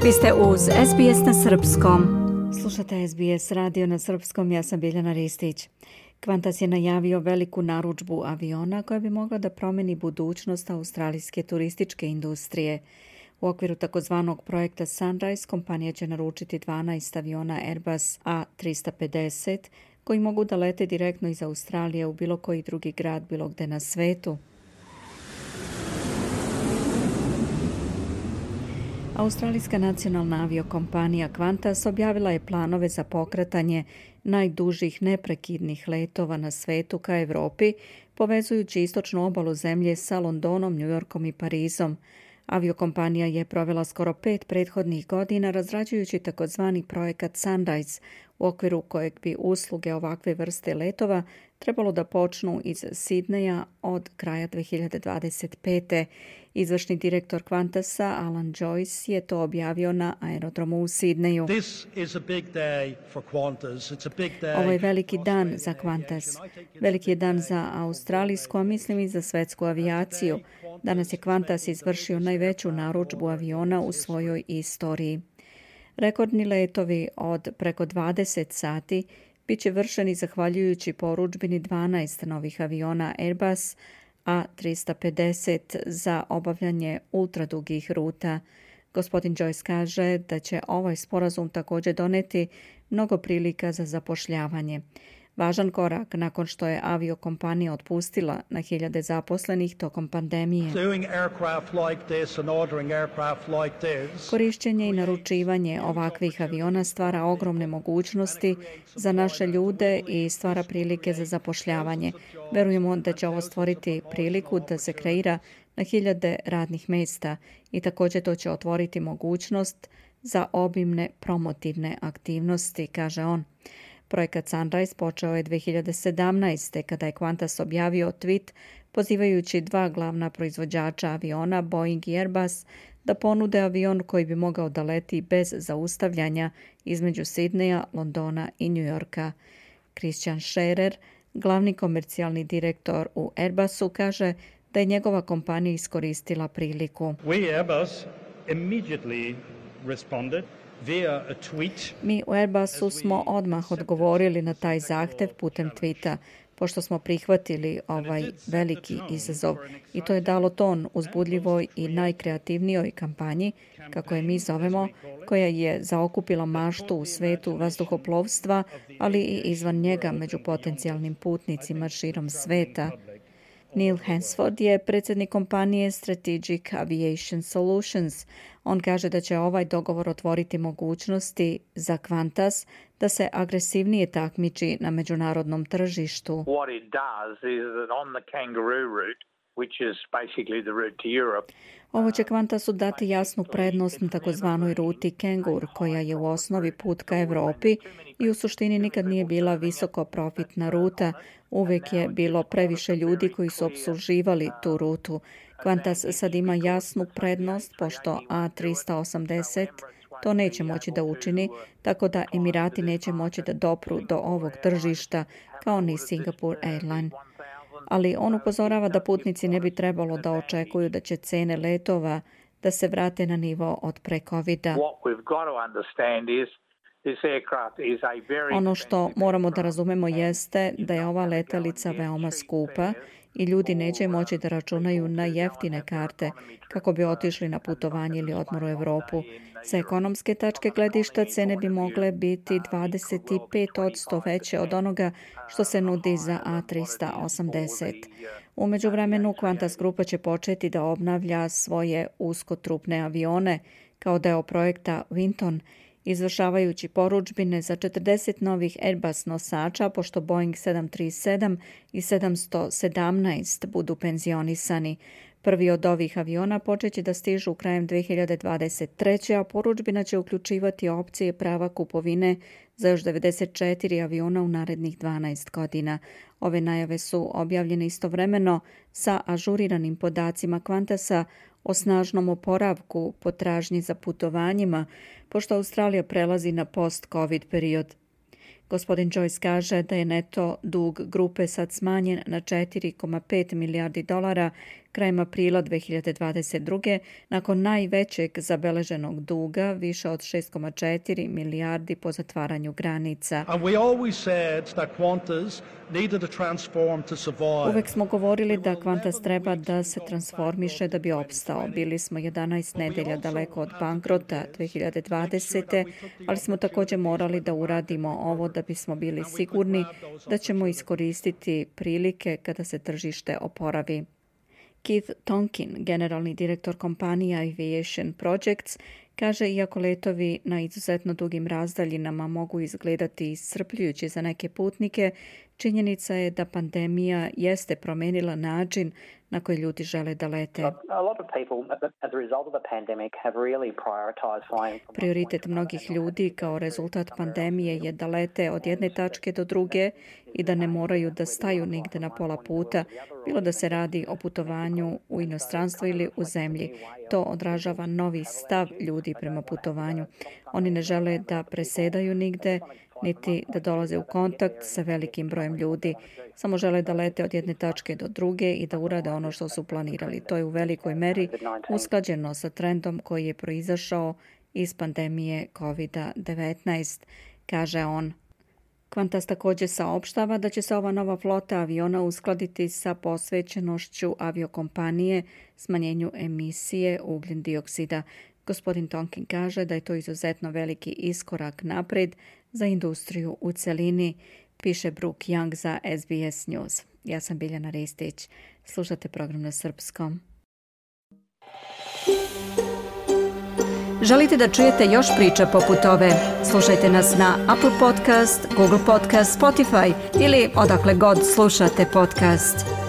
Vi ste uz SBS na srpskom. Slušate SBS radio na srpskom, ja sam Biljana Ristić. Qantas je najavio veliku narudžbu aviona koja bi mogla da promeni budućnost australijske turističke industrije. U okviru takozvanog projekta Sunrise kompanija će naručiti 12 aviona Airbus A350 koji mogu da lete direktno iz Australije u bilo koji drugi grad bilo gde na svetu. Australijska nacionalna aviokompanija Qantas objavila je planove za pokretanje najdužih neprekidnih letova na svetu ka Evropi, povezujući istočnu obalu zemlje sa Londonom, Njujorkom i Parizom. Aviokompanija je provela skoro 5 prethodnih godina razrađujući takozvani projekat Sunrise, u okviru kojeg bi usluge ovakve vrste letova trebalo da počnu iz Sidneja od kraja 2025. Izvršni direktor Qantasa, Alan Joyce, je to objavio na aerodromu u Sidneju. Ovo je veliki dan za Qantas. Veliki je dan za australijsku, a mislim i za svetsku avijaciju. Danas je Qantas izvršio najveću narudžbu aviona u svojoj istoriji. Rekordni letovi od preko 20 sati biće vršeni zahvaljujući porudžbini 12 novih aviona Airbus A350 za obavljanje ultradugih ruta. Gospodin Joyce kaže da će ovaj sporazum također doneti mnogo prilika za zapošljavanje. Važan korak nakon što je aviokompanija otpustila na hiljade zaposlenih tokom pandemije. Korišćenje i naručivanje ovakvih aviona stvara ogromne mogućnosti za naše ljude i stvara prilike za zapošljavanje. Verujemo da će ovo stvoriti priliku da se kreira na hiljade radnih mjesta i također to će otvoriti mogućnost za obimne promotivne aktivnosti, kaže on. Projekat Sunrise počeo je 2017. kada je Qantas objavio tweet pozivajući dva glavna proizvođača aviona, Boeing i Airbus, da ponude avion koji bi mogao da leti bez zaustavljanja između Sidneja, Londona i Njujorka. Christian Scherer, glavni komercijalni direktor u Airbusu, kaže da je njegova kompanija iskoristila priliku. Mi u Airbusu smo odmah odgovorili na taj zahtev putem tweeta, pošto smo prihvatili ovaj veliki izazov i to je dalo ton uzbudljivoj i najkreativnijoj kampanji, kako je mi zovemo, koja je zaokupila maštu u svetu vazduhoplovstva, ali i izvan njega među potencijalnim putnicima širom sveta. Neil Hansford je predsjednik kompanije Strategic Aviation Solutions. On kaže da će ovaj dogovor otvoriti mogućnosti za Qantas da se agresivnije takmiči na međunarodnom tržištu. Ovo će Qantasu dati jasnu prednost na takozvanoj ruti Kangur, koja je u osnovi put ka Evropi i u suštini nikad nije bila visoko profitna ruta. Uvijek je bilo previše ljudi koji su opsluživali tu rutu. Qantas sad ima jasnu prednost, pošto A380 to neće moći da učini, tako da Emirati neće moći da dopru do ovog tržišta, kao ni Singapore Airline. Ali on upozorava da putnici ne bi trebalo da očekuju da će cene letova da se vrate na nivo od pre COVID-a. Ono što moramo da razumemo jeste da je ova letelica veoma skupa i ljudi neće moći da računaju na jeftine karte kako bi otišli na putovanje ili odmor u Evropu. Sa ekonomske tačke gledišta cene bi mogle biti 25% veće od onoga što se nudi za A380. U međuvremenu Qantas grupa će početi da obnavlja svoje uskotrupne avione kao deo projekta Winton, izvršavajući porudžbine za 40 novih Airbus nosača, pošto Boeing 737 i 717 budu penzionisani. Prvi od ovih aviona počeće da stižu krajem 2023. a porudžbina će uključivati opcije prava kupovine za još 94 aviona u narednih 12 godina. Ove najave su objavljene istovremeno sa ažuriranim podacima Qantasa o snažnom oporavku potražnji za putovanjima, pošto Australija prelazi na post-COVID period. Gospodin Joyce kaže da je neto dug grupe sad smanjen na $4,5 milijardi Krajem aprila 2022. nakon najvećeg zabeleženog duga, više od 6,4 milijardi po zatvaranju granica. Uvek smo govorili da Qantas treba da se transformiše da bi opstao. Bili smo 11 nedelja daleko od bankrota 2020. ali smo također morali da uradimo ovo da bismo bili sigurni da ćemo iskoristiti prilike kada se tržište oporavi. Keith Tonkin, generalni direktor kompanije Aviation Projects, kaže iako letovi na izuzetno dugim razdaljinama mogu izgledati iscrpljujući za neke putnike, činjenica je da pandemija jeste promenila način na koji ljudi žele da lete. Prioritet mnogih ljudi kao rezultat pandemije je da lete od jedne tačke do druge i da ne moraju da staju nigde na pola puta, bilo da se radi o putovanju u inostranstvo ili u zemlji. To odražava novi stav ljudi prema putovanju. Oni ne žele da presedaju nigde, niti da dolaze u kontakt sa velikim brojem ljudi. Samo žele da lete od jedne tačke do druge i da urade ono što su planirali. To je u velikoj meri usklađeno sa trendom koji je proizašao iz pandemije COVID-19, kaže on. Qantas također saopštava da će se ova nova flota aviona uskladiti sa posvećenošću aviokompanije smanjenju emisije ugljen dioksida. Gospodin Tonkin kaže da je to izuzetno veliki iskorak naprijed za industriju u celini, piše Brooke Young za SBS News. Ja sam Biljana Ristić. Slušate program na srpskom. Želite da čujete još priča poput ove? Slušajte nas na Apple Podcast, Google Podcast, Spotify ili odakle god slušate podcast.